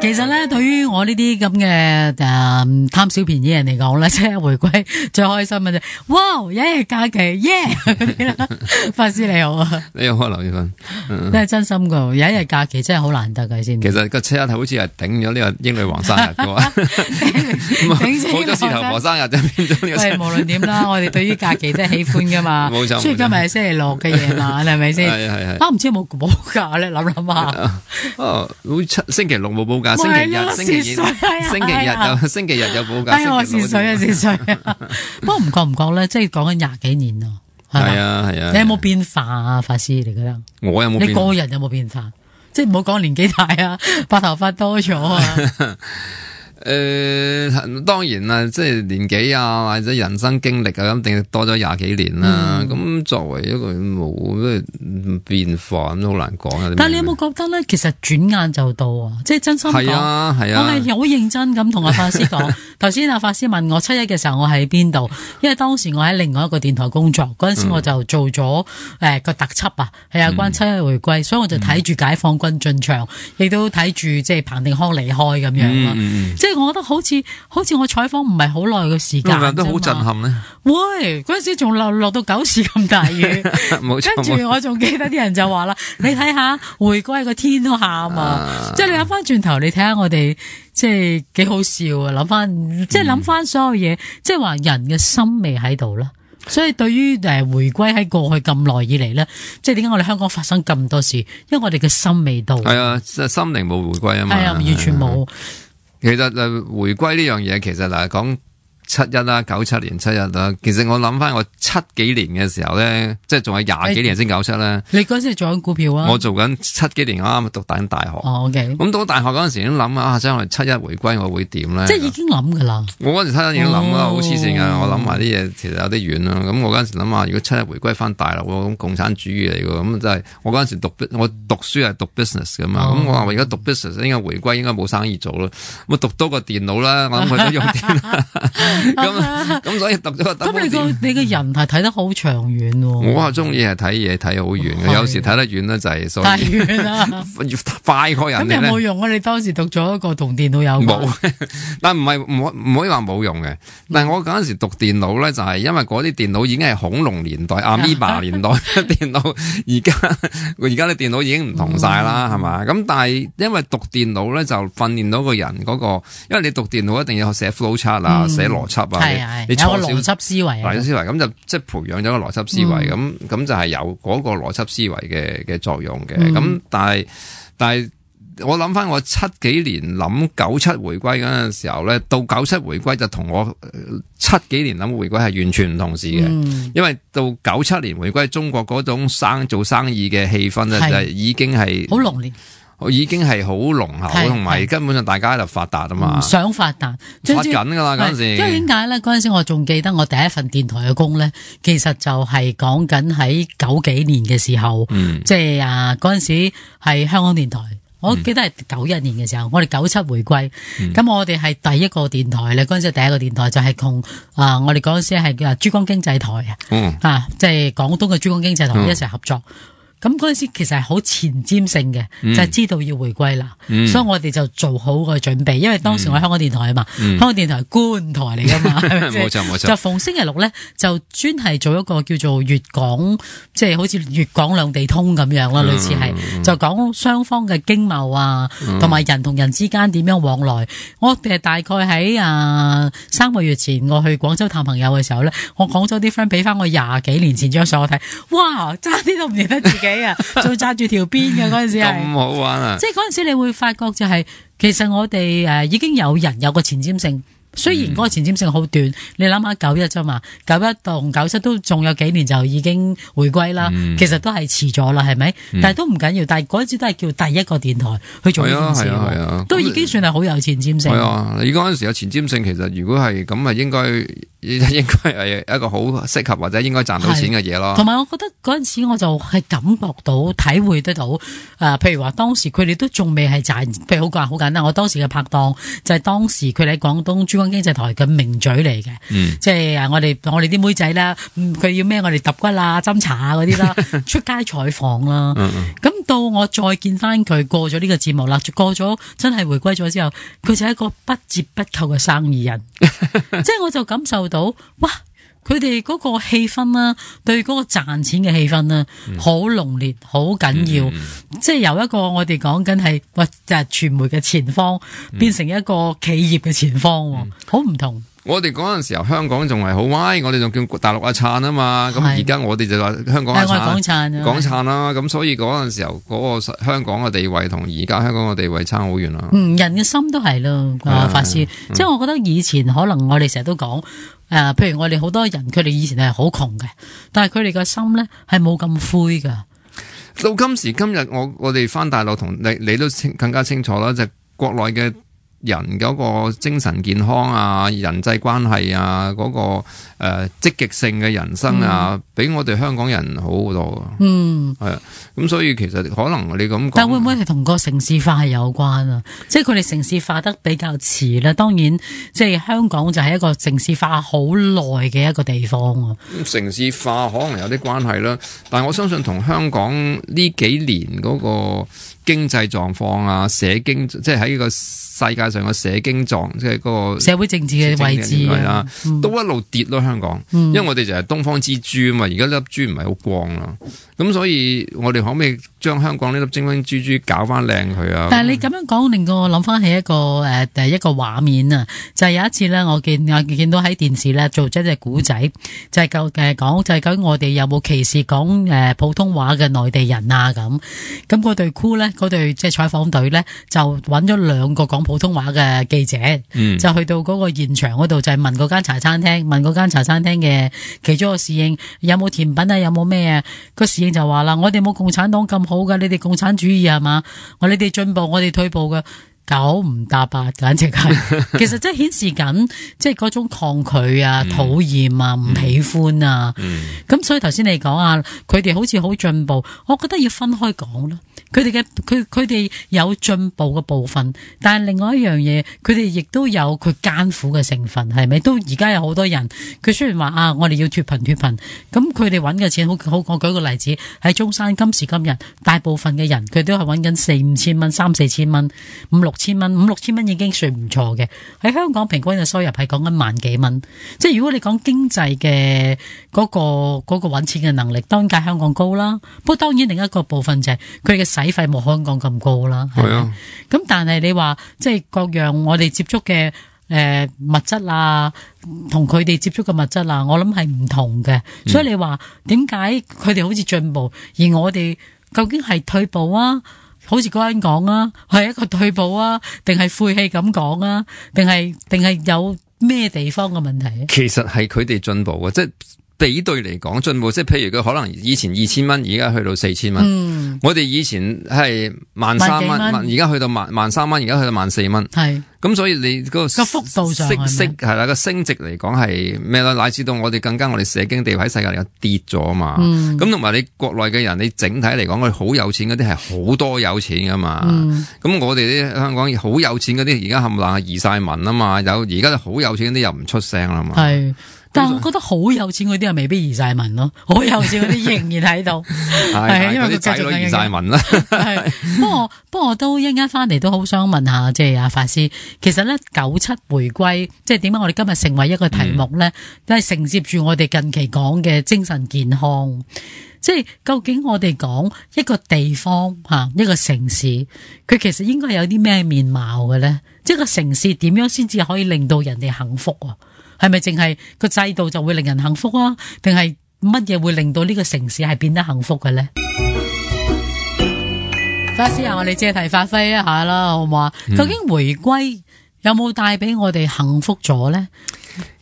其實咧，對於我呢啲咁嘅貪小便宜人嚟講咧，即係回歸最開心嘅啫。哇，有一日假期，耶嗰啲啦。法師你好啊，你好啊，劉月芬，真係真心噶，有一日假期真係好難得嘅先。其實個7-1好似係頂咗呢個英女王生日嘅喎，冇咗事頭婆生日就變咗呢個。喂，無論點啦，我哋對於假期都係喜歡噶嘛。冇錯。所以今日係星期六嘅夜晚，係咪先？係。啊，唔知有冇補假咧？諗諗下。哦，星期六冇補假，星期日有補假。哎，我蝕水啊，蝕水啊！不過唔覺咧，即係講緊廿幾年咯。係啊。你有冇變化啊，法師？你覺得？我有冇變化？你個人有冇變化？即係唔好講年紀大啊，白頭髮多咗啊。當然啦，即係年紀啊，或者人生經歷啊，咁定多咗廿幾年啦。咁作為一個冇咩變化，咁都好難講啊。但係你有冇覺得咧？其實轉眼就到啊！即係真心講，係啊，我係好認真咁同阿法師講。頭先阿法師問我7-1嘅時候，我喺邊度？因為當時我喺另外一個電台工作，嗰陣時我就做咗個特輯啊，係有關7-1回歸，所以我就睇住解放軍進場，亦都睇住即係彭定康離開咁樣咯。即係我覺得好似我採訪唔係好耐嘅時間，都好震撼咧。喂，嗰陣時仲落到9時咁大雨，跟住我仲記得啲人就話啦，你睇下回歸個天都喊啊！即係你諗翻轉頭，你睇下我哋即係幾好笑啊！諗翻即係諗翻所有嘢，即係話人嘅心未喺度啦。所以對於回歸喺過去咁耐以嚟咧，即係點解我哋香港發生咁多事？因為我哋嘅心未到。係啊，即係心靈冇回歸啊嘛。係啊，完全冇。其實回歸呢樣嘢，其實嗱講7-1啦，97年7-1啦。其實我諗翻我7幾年嘅時候咧，即係仲係廿幾年先97咧。你嗰時做緊股票啊？我做緊7幾年，啱啱讀緊大學。哦，OK。咁到大學嗰陣時已經諗啊，將來7-1回歸我會點咧？即係已經諗噶啦。我嗰陣7-1已經諗啦，好黐線噶。我諗埋啲嘢，其實有啲遠啦。咁我嗰陣時諗下，如果7-1回歸翻大陸，咁共產主義嚟噶，咁真係我嗰陣時我讀書係讀 business 噶嘛。咁我話我而家讀 business 應該回歸，應該冇生意做咯。咁讀多個電腦啦，我諗佢都用電啦。咁所以讀咗個。咁你個人係睇得好長遠喎。我係中意係睇嘢睇好遠嘅，有時睇得遠咧就係所以太遠啦，快過人哋咧。咁有冇用啊？你當時讀咗一個同電腦有冇，但唔可以話冇用嘅。但係我嗰陣時讀電腦咧，就係因為嗰啲電腦已經係恐龍年代、阿米巴年代嘅電腦，而家啲電腦已經唔同晒啦，係嘛？咁但係因為讀電腦咧，就訓練到個人嗰個，因為你讀電腦一定要寫 flow chart 啊，寫邏輯啊，你有個邏輯思維，邏輯思維咁就即係培養咗個邏輯思維，咁就係有嗰個邏輯思維嘅作用嘅。咁但係我諗翻我7幾年諗97回歸嗰陣時候咧，到97回歸就同我7幾年諗回歸係完全唔同事嘅。因為到97年回歸，中國嗰種做生意嘅氣氛咧，就已經係好濃烈。已經係好濃厚，同埋根本上大家喺度發達啊嘛，想發達，發緊噶啦嗰陣時。因為點解咧？嗰陣時我仲記得我第一份電台嘅工咧，其實就係講緊喺90幾年嘅時候，即係嗰陣時係香港電台。我記得係91年嘅時候，我哋97回歸，咁我哋係第一個電台咧。嗰陣時第一個電台就係同我哋嗰陣時係珠江經濟台即係廣東嘅珠江經濟台一齊合作。咁嗰陣時其實係好前瞻性嘅，就係知道要回歸啦，所以我哋就做好個準備。因為當時我喺香港電台啊嘛，香港電台係官台嚟噶嘛，冇錯。就逢星期六咧，就專係做一個叫做粵港，即係好似粵港兩地通咁樣啦，類似係就講雙方嘅經貿啊，同埋人同人之間點樣往來。我哋大概喺3個月前我去廣州探朋友嘅時候咧，我廣州啲 friend 俾翻我20幾年前張相我睇，哇，差啲都唔認得自己。仲揸住條辮嘅嗰陣時係咁好玩啊！即係嗰陣時你會發覺就係，其實我哋已經有人有個前瞻性，雖然嗰個前瞻性好短，你諗下91啫嘛，91同97都仲有幾年就已經回歸啦，其實都係遲咗啦，係咪？但係都唔緊要，但係嗰陣時都係叫第一個電台去做呢件事，都已經算係好有前瞻性。係啊，你嗰陣時有前瞻性，其實如果係咁啊，應該應該係一個好適合或者應該賺到錢嘅嘢咯。同埋我覺得嗰陣時我就係感覺到、體會得到，譬如話當時佢哋都仲未係賺，譬如好簡單，我當時嘅拍檔就係當時佢哋喺廣東珠江經濟台嘅名嘴嚟嘅，即係我哋啲妹仔啦，佢要咩我哋揼骨啊、斟茶啊嗰啲啦，出街採訪啦，咁到我再見翻佢過咗呢個節目啦，過咗真係回歸咗之後，佢就係一個不折不扣嘅生意人，即係我就感受到，哇！佢哋嗰個氣氛啦，對嗰個賺錢嘅氣氛啦，好濃烈，好緊要，即係由一個我哋講緊係就係傳媒嘅前方，變成一個企業嘅前方，好唔同。我哋嗰陣時候香港仲係好威，我哋仲叫大陸阿燦啊嘛，咁而家我哋就話香港阿燦，港燦啦，咁所以嗰陣時候嗰個香港嘅地位同而家香港嘅地位差好遠啦。人嘅心都係咯，法師，即係我覺得以前可能我哋成日都講。譬如我哋好多人，佢哋以前係好窮嘅，但係佢哋個心咧係冇咁灰噶。到今時今日，我哋翻大陸同你都更加清楚啦，就係國內嘅人嗰個精神健康啊、人際關係啊、嗰個積極性嘅人生啊，比我哋香港人好好多。係啊，咁所以其實可能你咁講，但會唔會係同個城市化係有關啊？即係佢哋城市化得比較遲啦。當然，即係香港就係一個城市化好耐嘅一個地方啊。城市化可能有啲關係啦，但係我相信同香港呢幾年嗰個經濟狀況啊、社經，即係喺呢個世界上嘅社經狀，即係嗰個社會政治嘅位置啊，都一路跌咯。香港，因為我哋就係東方之珠啊嘛，而家粒珠唔係好光啦，咁所以我哋可唔可以將香港呢粒精靈珠珠搞翻靚佢啊？但係你咁樣講，令我諗翻起一個一個畫面啊，就係有一次咧，我見到喺電視咧做咗一隻古仔，就係講就係究竟我哋有冇歧視講普通話嘅內地人啊咁。咁嗰隊 crew 咧，嗰隊即係採訪隊咧，就揾咗2個講普通話嘅記者，就去到嗰個現場嗰度，就係問嗰間茶餐廳，問嗰間茶餐廳嘅其中個侍應有冇甜品啊，有冇咩啊？個侍應就話啦：我哋冇共產黨咁好噶，你哋共產主義係嘛？你哋進步，我哋退步噶。9唔搭8，簡直係，其實即係顯示緊，即係嗰種抗拒啊、討厭啊、唔喜歡啊。咁所以頭先你講啊，佢哋好似好進步，我覺得要分開講咯。佢哋有進步嘅部分，但係另外一樣嘢，佢哋亦都有佢艱苦嘅成分，係咪？都而家有好多人，佢雖然話啊，我哋要脫貧，咁佢哋揾嘅錢好，我舉個例子，喺中山今時今日，大部分嘅人佢都係揾緊4-5千蚊、3-4千蚊、5-6千蚊，5-6千蚊已經算唔錯嘅。喺香港平均嘅收入係講緊萬幾蚊，即係如果你講經濟嘅嗰個揾錢嘅能力，當然較香港高啦。不過當然另一個部分就係佢嘅使費冇香港咁高啦。係啊，咁但係你話即係各樣我哋接觸嘅物質啊，同佢哋接觸嘅物質啊，我諗係唔同嘅。所以你話點解佢哋好似進步，而我哋究竟係退步啊？好似嗰人講啊，係一個退步啊，定係晦氣咁講啊？定係有咩地方嘅問題？其實係佢哋進步嘅，即係比對嚟講進步。即係譬如佢可能以前2000蚊，而家去到4000蚊。我哋以前係13,000蚊，而家去到13,000蚊，而家去到14,000蚊。係咁，所以你嗰個幅度上係啦，個升值嚟講係咩啦？乃至到我哋更加我哋社經地位喺世界嚟講跌咗嘛。咁同埋你國內嘅人，你整體嚟講，佢好有錢嗰啲係好多有錢噶嘛。咁我哋啲香港好有錢嗰啲，而家冚唪唥移晒民啊嘛。而家好有錢嗰啲又唔出聲啦嘛。係。但係我覺得好有錢嗰啲又未必移晒民咯，好有錢嗰啲仍然喺度，係因為佢仔女移晒民啦。係，不過我都一陣間翻嚟都好想問下，即係阿法師，其實咧97回歸，即係點解我哋今日成為一個題目咧，都係承接住我哋近期講嘅精神健康。即係究竟我哋講一個地方一個城市，佢其實應該有啲咩面貌嘅咧？即係個城市點樣先至可以令到人哋幸福啊？係咪淨係個制度就會令人幸福啊？定係乜嘢會令到呢個城市係變得幸福嘅咧？法師啊，我哋借題發揮一下啦，好唔好啊？究竟回歸有冇帶俾我哋幸福咗咧？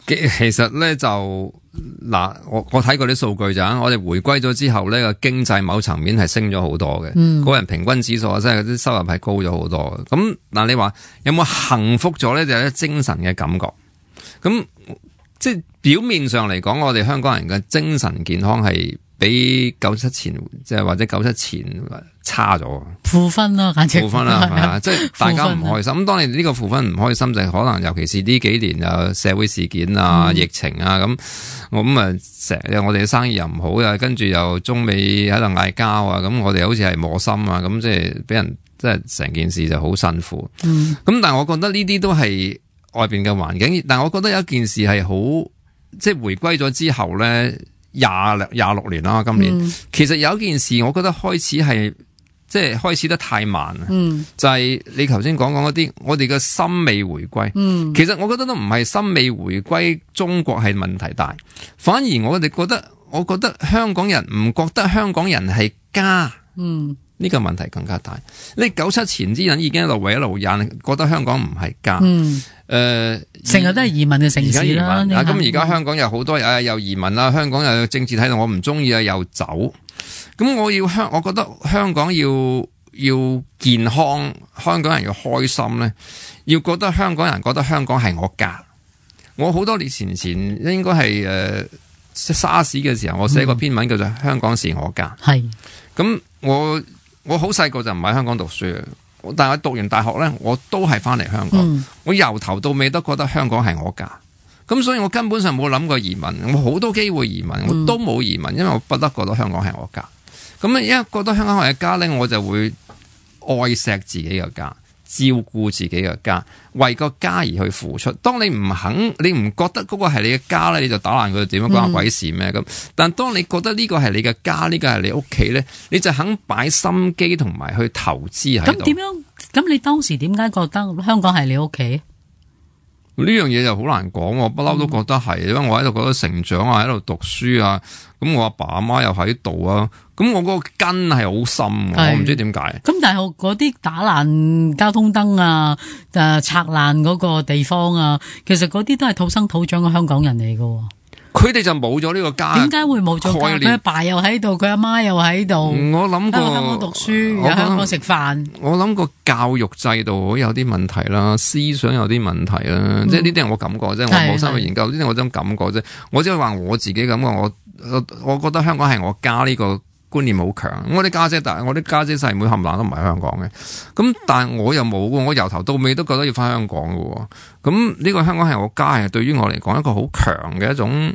其實咧就嗱，我睇過啲數據咋，我哋回歸咗之後咧個經濟某層面係升咗好多嘅，個人平均指數即係啲收入係高咗好多。咁你話有冇幸福咗咧？就係精神嘅感覺。咁即係表面上嚟講，我哋香港人嘅精神健康係比97前即係或者97前差咗，負分啦，簡直負分啦，係嘛？即係大家唔開心。咁當然呢個負分唔開心就係可能，尤其是呢幾年有社會事件啊、疫情啊咁，成日我哋嘅生意又唔好啊，跟住又中美喺度嗌交啊，咁我哋好似係磨心啊，咁即係俾人即係成件事就好辛苦。咁但係我覺得呢啲都係外邊嘅環境，但係我覺得有一件事係好，即係回歸咗之後咧26年啦，今年其實有一件事，我覺得開始係即係開始得太慢啦。就係你頭先講嗰啲，我哋嘅心未回歸。其實我覺得都唔係心未回歸，中國係問題大，反而我覺得香港人唔覺得香港人係家。呢個問題更加大。你97前啲人已經一路為一路引，覺得香港唔係家。成日都係移民嘅城市啦。咁而家香港有好多又移民啦，香港又有政治態度，我唔中意啊，又走。咁我覺得香港要健康，香港人要開心咧，要覺得香港人覺得香港係我家。我好多年前應該係沙士嘅時候，我寫過篇文叫做《香港是我家》。係。咁我好細個就唔喺香港讀書嘅，但係我讀完大學咧，我都係翻嚟香港。我由頭到尾都覺得香港係我家，咁所以我根本上冇諗過移民。我好多機會移民，我都冇移民，因為我不得覺得香港係我家。咁一覺得香港係家咧，我就會愛錫自己嘅家，照顧自己嘅家，為個家而去付出。當你唔肯，你唔覺得嗰個係你嘅家咧，你就打爛佢，點樣關我鬼事咩？咁但當你覺得呢個係你嘅家，呢個係你屋企咧，你就肯擺心機同埋去投資喺度。咁點樣？咁你當時點解覺得香港係你屋企？呢樣嘢就好難講，我不嬲都覺得係，因為我喺度覺得成長啊，喺度讀書啊，咁我阿爸阿媽又喺度啊，咁我嗰個根係好深，我唔知點解。咁但係嗰啲打爛交通燈啊，拆爛嗰個地方啊，其實嗰啲都係土生土長嘅香港人嚟㗎。佢哋就冇咗呢個家。點解會冇咗家？佢阿爸又喺度，佢阿媽又喺度。我諗過喺香港讀書，喺香港食飯。我諗個教育制度有啲問題啦，思想有啲問題啦，即係呢啲係我感覺啫，我冇深去研究，呢啲我真感覺啫。我只係話我自己感覺，我覺得香港係我家呢個觀念好強。我啲家姐細妹冚唪唥都唔係香港嘅，咁但係我又冇，我由頭到尾都覺得要翻香港嘅。咁呢個香港係我家，係對於我嚟講一個好強嘅一種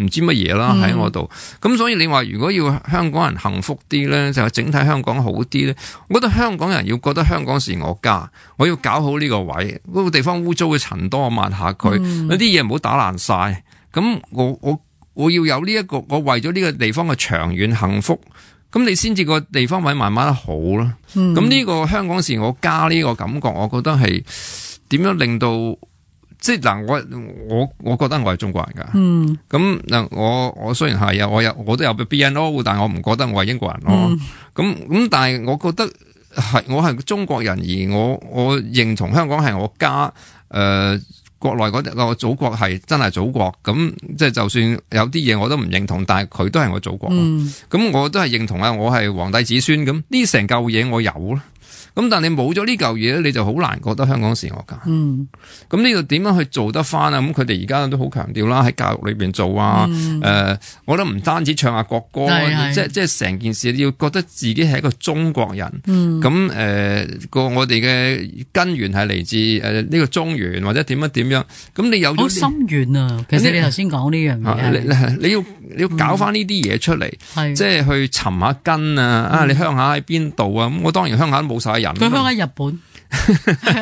唔知乜嘢啦喺我度。咁所以你話如果要香港人幸福啲咧，就係整體香港好啲咧，我覺得香港人要覺得香港是我家，我要搞好呢個位，嗰個地方污糟嘅塵多，我抹下佢，有啲嘢唔好打爛晒。咁我要有呢一個，我為咗呢個地方嘅長遠幸福，咁你先至個地方位慢慢好啦。咁呢個香港是我家呢個感覺，我覺得係點樣令到即係嗱，我覺得我係中國人噶。咁嗱，我雖然係我都有 BNO， 但係我唔覺得我係英國人咯。咁但係我覺得我係中國人，而我認同香港係我家。國內嗰個祖國係真係祖國，咁即係就算有啲嘢我都唔認同，但係佢都係我祖國。咁我都係認同啊，我係皇帝子孫，咁呢成嚿嘢我有啦。咁但係你冇咗呢嚿嘢咧，你就好難覺得香港是我家。咁呢度點樣去做得翻啊？咁佢哋而家都好強調啦，喺教育裏邊做啊。我覺得唔單止唱下國歌，即係成件事你要覺得自己係一個中國人。咁我哋嘅根源係嚟自呢個中原或者點樣。咁你有咗好深遠啊！其實你頭先講呢樣嘢，你要搞翻呢啲嘢出嚟，即係去尋下根啊！你鄉下喺邊度啊？咁我當然鄉下都冇晒人。佢鄉下日本，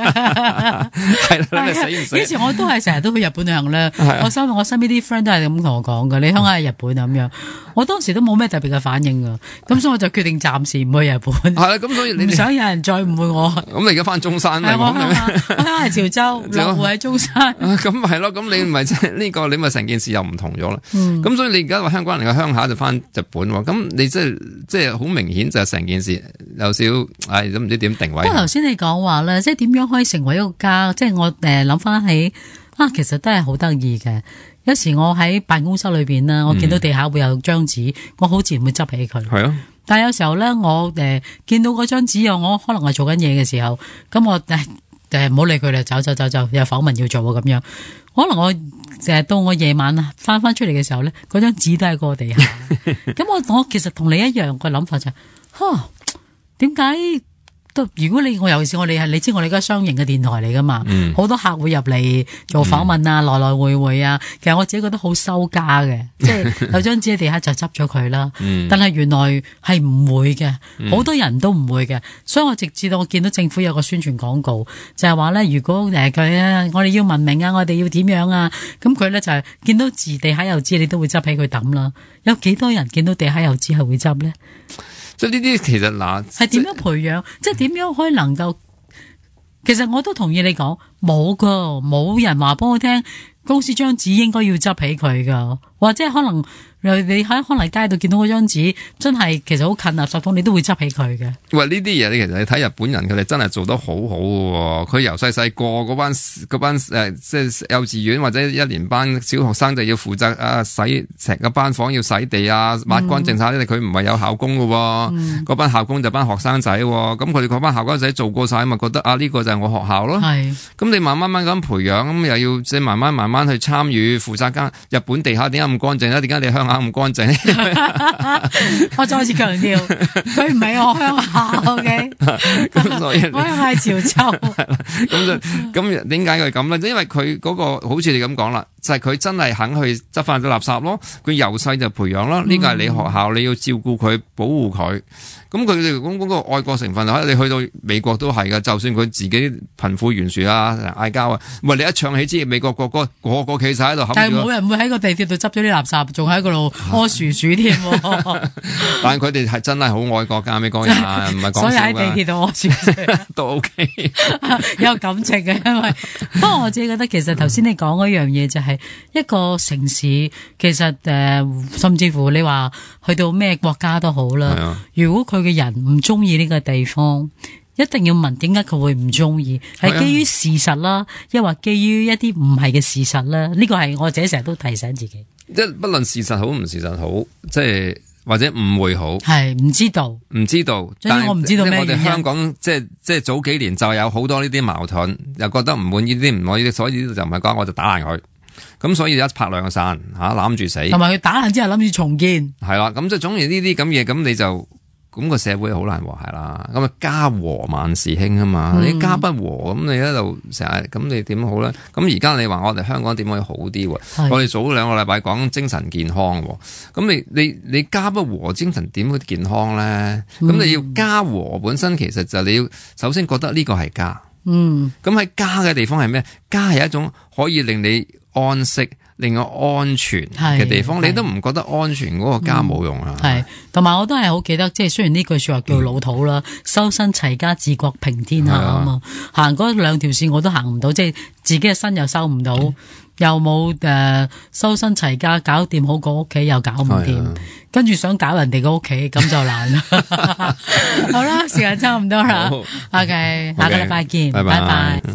係啦，你死唔死？以前我都係成日都去日本旅行咧。我身邊啲 friend 都係咁同我講噶，你鄉下喺日本啊咁樣。我當時都冇咩特別嘅反應噶，咁所以我就決定暫時唔去日本。係啦，咁所以你唔想有人再誤會我。咁你而家翻中山咪？我鄉下係潮州，落戶喺中山。咁係咯，咁你咪即係呢個，你咪成件事又唔同咗啦。咁所以你而家話香港人嘅鄉下就翻日本喎，咁你即係好明顯就係成件事有少都唔知點定位。不過頭先你講話咧，即係點樣可以成為一個家？即係我諗翻起其實都係好得意嘅。有時我喺辦公室裏邊啦，我見到地下會有張紙，我好自然會執起佢。係啊，但係有時候咧，我見到嗰張紙我可能係做緊嘢嘅時候，咁我唔好理佢啦，走，有訪問要做啊咁樣。可能我到我夜晚啊翻出嚟嘅時候咧，嗰張紙都喺個地下。咁我其實同你一樣個諗法就係，點解？如果我尤其是我哋係你知我哋而家商營嘅電台嚟噶嘛，好多客戶入嚟做訪問啊，來來回回啊，其實我自己覺得好收家嘅，即係有張紙喺地下就執咗佢啦。但係原來係唔會嘅，好多人都唔會嘅，所以我直至到我見到政府有個宣傳廣告，就係話咧，如果佢我哋要文明啊，我哋要點樣啊，咁佢咧就係見到字地下有紙，你都會執起佢抌啦。有幾多人見到地下有紙係會執咧？即係呢啲其實嗱，係點樣培養？即係點樣可以能夠？其實我都同意你講，冇人話幫我聽，公司張紙應該要執起佢噶，或者可能你喺可能街度見到嗰張紙，真係其實好近垃圾桶，你都會執起佢嘅。喂，呢啲嘢你其實你睇日本人佢哋真係做得好好嘅，佢由細個嗰班即係幼稚園或者一年班小學生就要負責洗成個班房要洗地啊，抹乾淨晒啲，佢唔係有校工嘅，嗰班校工就班學生仔，咁佢哋嗰班校工仔做過晒，咪覺得呢個就係我學校咯。係，咁你慢慢咁培養，咁又要即係慢慢去參與負責間日本地下點解咁乾淨咧？點解你鄉下咁乾淨？我再次強調，佢唔係我鄉下 ，OK？咁所以我鄉下係潮州。咁點解佢咁咧？因為佢嗰個好似你咁講啦，就係佢真係肯去執翻啲垃圾咯。佢由細就培養咯，呢個係你學校，你要照顧佢，保護佢。咁佢哋講嗰個愛國成分，你去到美國都係噶。就算佢自己貧富懸殊啊、嗌交啊，喂，你一唱起支美國國歌，個企晒喺度，但係冇人會喺個地鐵度執咗啲垃圾，仲喺嗰度屙薯鼠添。但係佢哋係真係好愛國噶，美國人唔係講笑。所以喺地鐵度屙薯鼠都 OK， 有感情嘅。因為不過我自己覺得，其實頭先你講嗰樣嘢就係一個城市，其實甚至乎你話去到咩國家都好啦。如果佢嘅人唔中意呢個地方，一定要問點解佢會唔中意，係基於事實啦，抑或基於一啲唔係嘅事實啦？呢個係我自己成日都提醒自己。即係不論事實好唔事實好，即係或者誤會好，係唔知道。但係我唔知道咩原因。我哋香港即係早幾年就有好多呢啲矛盾，又覺得唔滿意啲唔滿意，所以呢度就唔係講，我就打爛佢。咁所以一拍兩散攬住死，同埋佢打爛之後諗住重建。係啦，咁即係總之呢啲咁嘢，咁你就。咁個社會好難和諧啦，咁家和萬事興啊嘛，你家不和，咁你喺度成日，咁你點好咧？咁而家你話我哋香港點可以好啲？我哋早2個禮拜講精神健康，咁你家不和，精神點會健康咧？咁你要家和本身，其實就你要首先覺得呢個係家。咁喺家嘅地方係咩？家係一種可以令你安息，令我安全嘅地方，你都唔覺得安全，嗰個家冇用啊？係，同埋我都係好記得，即係雖然呢句說話叫老土啦，修身齊家治國平天下啊嘛，行嗰2條線我都行唔到，即係自己嘅身又收唔到，又冇修身齊家搞掂好個屋企又搞唔掂，跟住想搞人哋個屋企咁就難啦。好啦，時間差唔多啦，OK，下個禮拜見，拜拜。